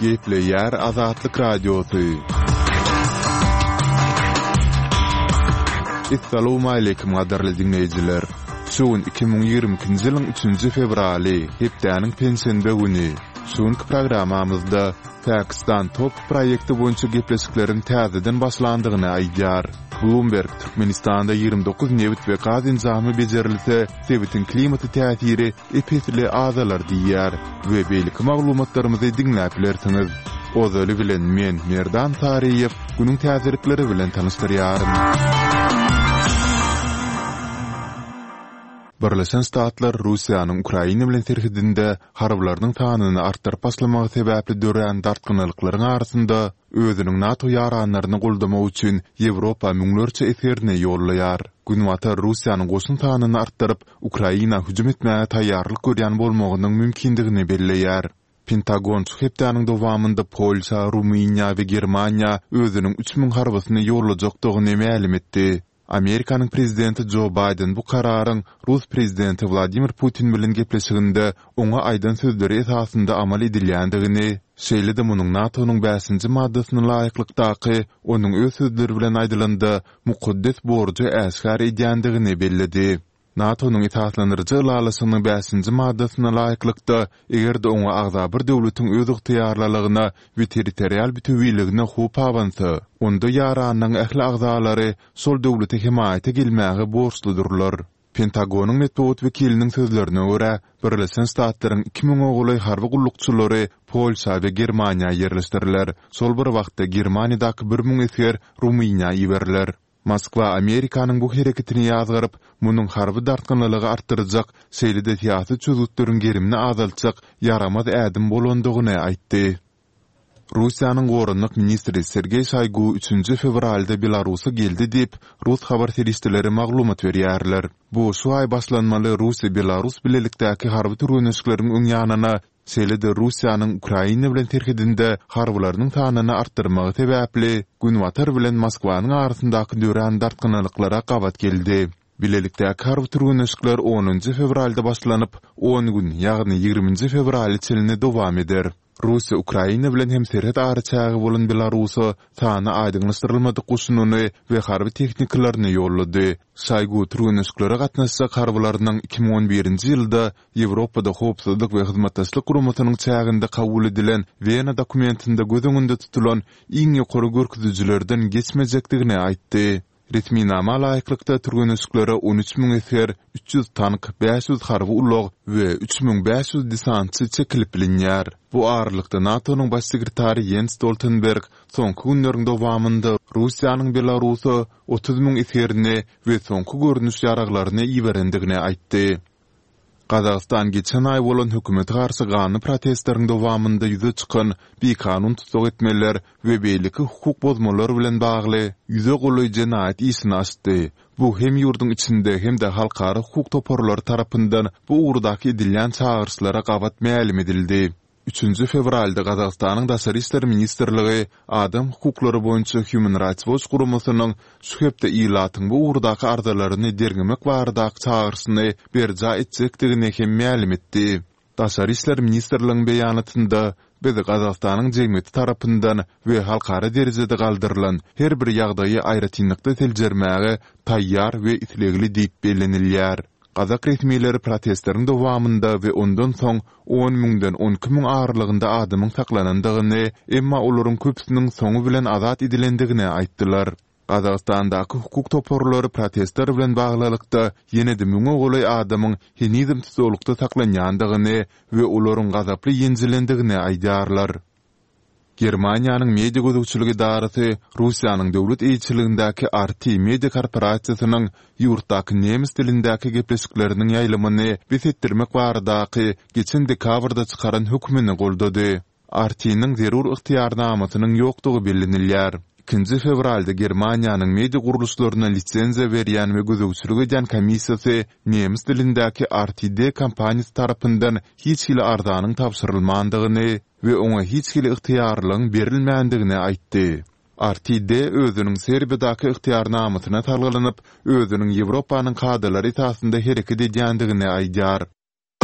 Gepleýär Azatlyk Radiosy. Essalawmaleýkim gadyrly diňleýjiler! Şu gün 2022-nji ýylyň üçünji fewraly, hepdäniň penşenbe güni. Şu günki programmamyzda Pakistan top proýekti boýunça gepleşikleriň täzeden başlandygyny aýdýar. Bloomberg Türkmenistanda 29 nebit we gaz enjamy bejerilse, sebitiň klimata täsiri ep-esli azalar diýýär we beýleki maglumatlarymyzy diňläp bilersiňiz. Ozaly bilen men, Merdan Saryýew, günüň täzelikleri bilen tanyşdyrýaryn. Birleşen Ştatlar Russiýanyň Ukraina bilen serhedinde harbylarynyň sanyny artdyryp başlamagy sebäpli dörän dartgynlylyklaryň arasynda özüniň NATO ýaranlaryny goldamak üçin Ýewropa müňlerçe esgerini ýollaýar. Günbatar Russiýanyň goşun sanyny artdyryp, Ukraina hüjüm etmäge taýýarlyk görýän bolmagynyň mümkindigini belleýär. Pentagon şu hepdäniň dowamynda Polşa, Rumyniýa we Germaniýa özüniň 3000 harbysyny ýollajakdygyny mälim etdi. Amerikanyň prezidenti Jo Baýden bu kararyň rus prezidenti Wladimir Putin bilen gepleşiginde oňa aýdan sözleri esasynda amal edilýändigini, şeýle-de munuň NATO-nyň bäşinji maddasyna laýyklykdaky, onuň öz sözleri bilen aýdylanda, mukaddes borjy äşgär edýändigini belledi. NATO-nyň esaslandyryjy ylalaşygynyň bäşinji maddasyna laýyklykda, eger-de oňa agza bir döwletiň özygtyýarlylygyna we territorial bütewiligine howp abansa, onda ýaranlygyň ähli agzalary şol döwlete hemaýata gelmäge borçludyrlar. Pentagonyň metbugat wekiliniň sözlerine görä, Birleşen Ştatlaryň iki müňe golaý harby gullukçylary Polşa we Germaniýa ýerleşdiriler. Şol bir wagtda Germaniýadaky 1000 esger Rumyniýa iberiler. Moskwa Amerikanyň bu hereketini ýazgaryp, munuň harby dartgynlylygy artdyrjak, şeýle-de syýasy çözgütleriň gerimini azaltjak ýaramaz ädim bolandygyny aýtdy. Russiýanyň goranmak ministri Sergeý Şoýgu üçünji fewralda Belarusa geldi diýip, rus habar serişdeleri maglumat berýärler. Bu şu aý başlanmaly Russiýa-Belarus bilelikdäki harby türgenleşikleriň öň ýanyna Şeýle-de Russiýanyň Ukraina bilen serhedinde harbylarynyň sanyny artdyrmagy sebäpli Günbatar bilen Moskwanyň arasyndaky dörän dartgynlylyklara gabat geldi. Bilelikdäki harby türgenleşikler onunjy fewralda başlanyp, on gün, ýagny ýigriminji fewrala çenli dowam eder. Russiýa Ukraina bilen hem serhet araçägi bolan Belarusa sany aýdyňlaşdyrylmadyk goşunyny we harby tehnikalaryny ýollady. Şoýgu türgenleşiklere gatnaşjak harbylarynyň 2011-nji ýylda Ýewropada Howpsuzlyk we Hyzmatdaşlyk Guramasynyň çäginde kabul edilen Wena dokumentinde göz öňünde tutulan iň ýokary görkezijilerden geçmejekdigini aýtdy. Resminama laýyklykda, türgenleşiklere 13 müň esger, 300 tank, 500 harby ulag we 3500 desantçy çekilip bilinýär. Bu aralykda, NATO-nyň Baş sekretary Ýens Stoltenberg soňky günleriň dowamynda Russiýanyň Belarusa 30 müň esgerini we soňky görnüş ýaraglaryny iberendigini aýtdy. Gazagystan geçen aý bolan hökümete garşy ganly protestleriň dowamynda ýüze çykan bikanun tussag etmeler we beýleki hukuk bozmalar bilen bagly ýüze golaý jenaýat işini açdy. Bu hem ýurduň içinde hem-de halkara hukuk toparlary tarapyndan bu ugurdaky edilýän çagyryşlara gabat mälim edildi. Üçünji fewralda Gazagystanyň Daşary işler ministrligi adam hukuklary boýunça Human Rights Watch guramasynyň şu hepde ilatyň bu ugurdaky arzalaryny derňemek baradaky çagyryşyny berjaý etjekdigini hem mälim etdi. Daşary işler ministrligiň beýanatynda, Biz Gazagystanyň jemgyýeti tarapyndan we halkara derejede galdyrylan her bir ýagdaýy aýratynlykda seljermäge taýýar we islegli diýip bellenilýär. Gazak resmileri protestleriň dowamynda we ondan soň on müňden 12 müň aralygynda adamyň saklanandygyny, emma olaryň köpüsiniň soňy bilen azat edilendigini aýtdylar. Gazagystandaky hukuk toparlary protestler bilen baglylykda ýene-de müňe golaý adamyň henizem tussaglykda saklanýandygyny we olaryň gazaply ýenjilendigini aýdýarlar. Germaniýanyň media gözegçilik edarasy Russiýanyň döwlet eýeçiligindäki RT media korporasiýasynyň ýurtdaky nemes dilindäki gepleşikleriniň ýaýlymyny bes etdirmek baradaky geçen dekabrda çykaran hökmüni goldady. RT-niň zerur ygtyýarnamasynyň ýokdugy bellenilýär. Ikinji fewralda Germaniýanyň media gurluşlaryna lisenziýa berýän we gözegçilik edýän komissiýasy nemes dilindäki RTD kompaniýasy tarapyndan hiç hili arzanyň tabşyrylmandygyny we oňa hiç hili ygtyýarlygyň berilmändigini aýtdy. RTD özüniň Serbiýadaky ygtyýarnamasyna salgylanyp, özüniň Ýewropanyň kadalary esasynda hereket edýändigini aýdýar.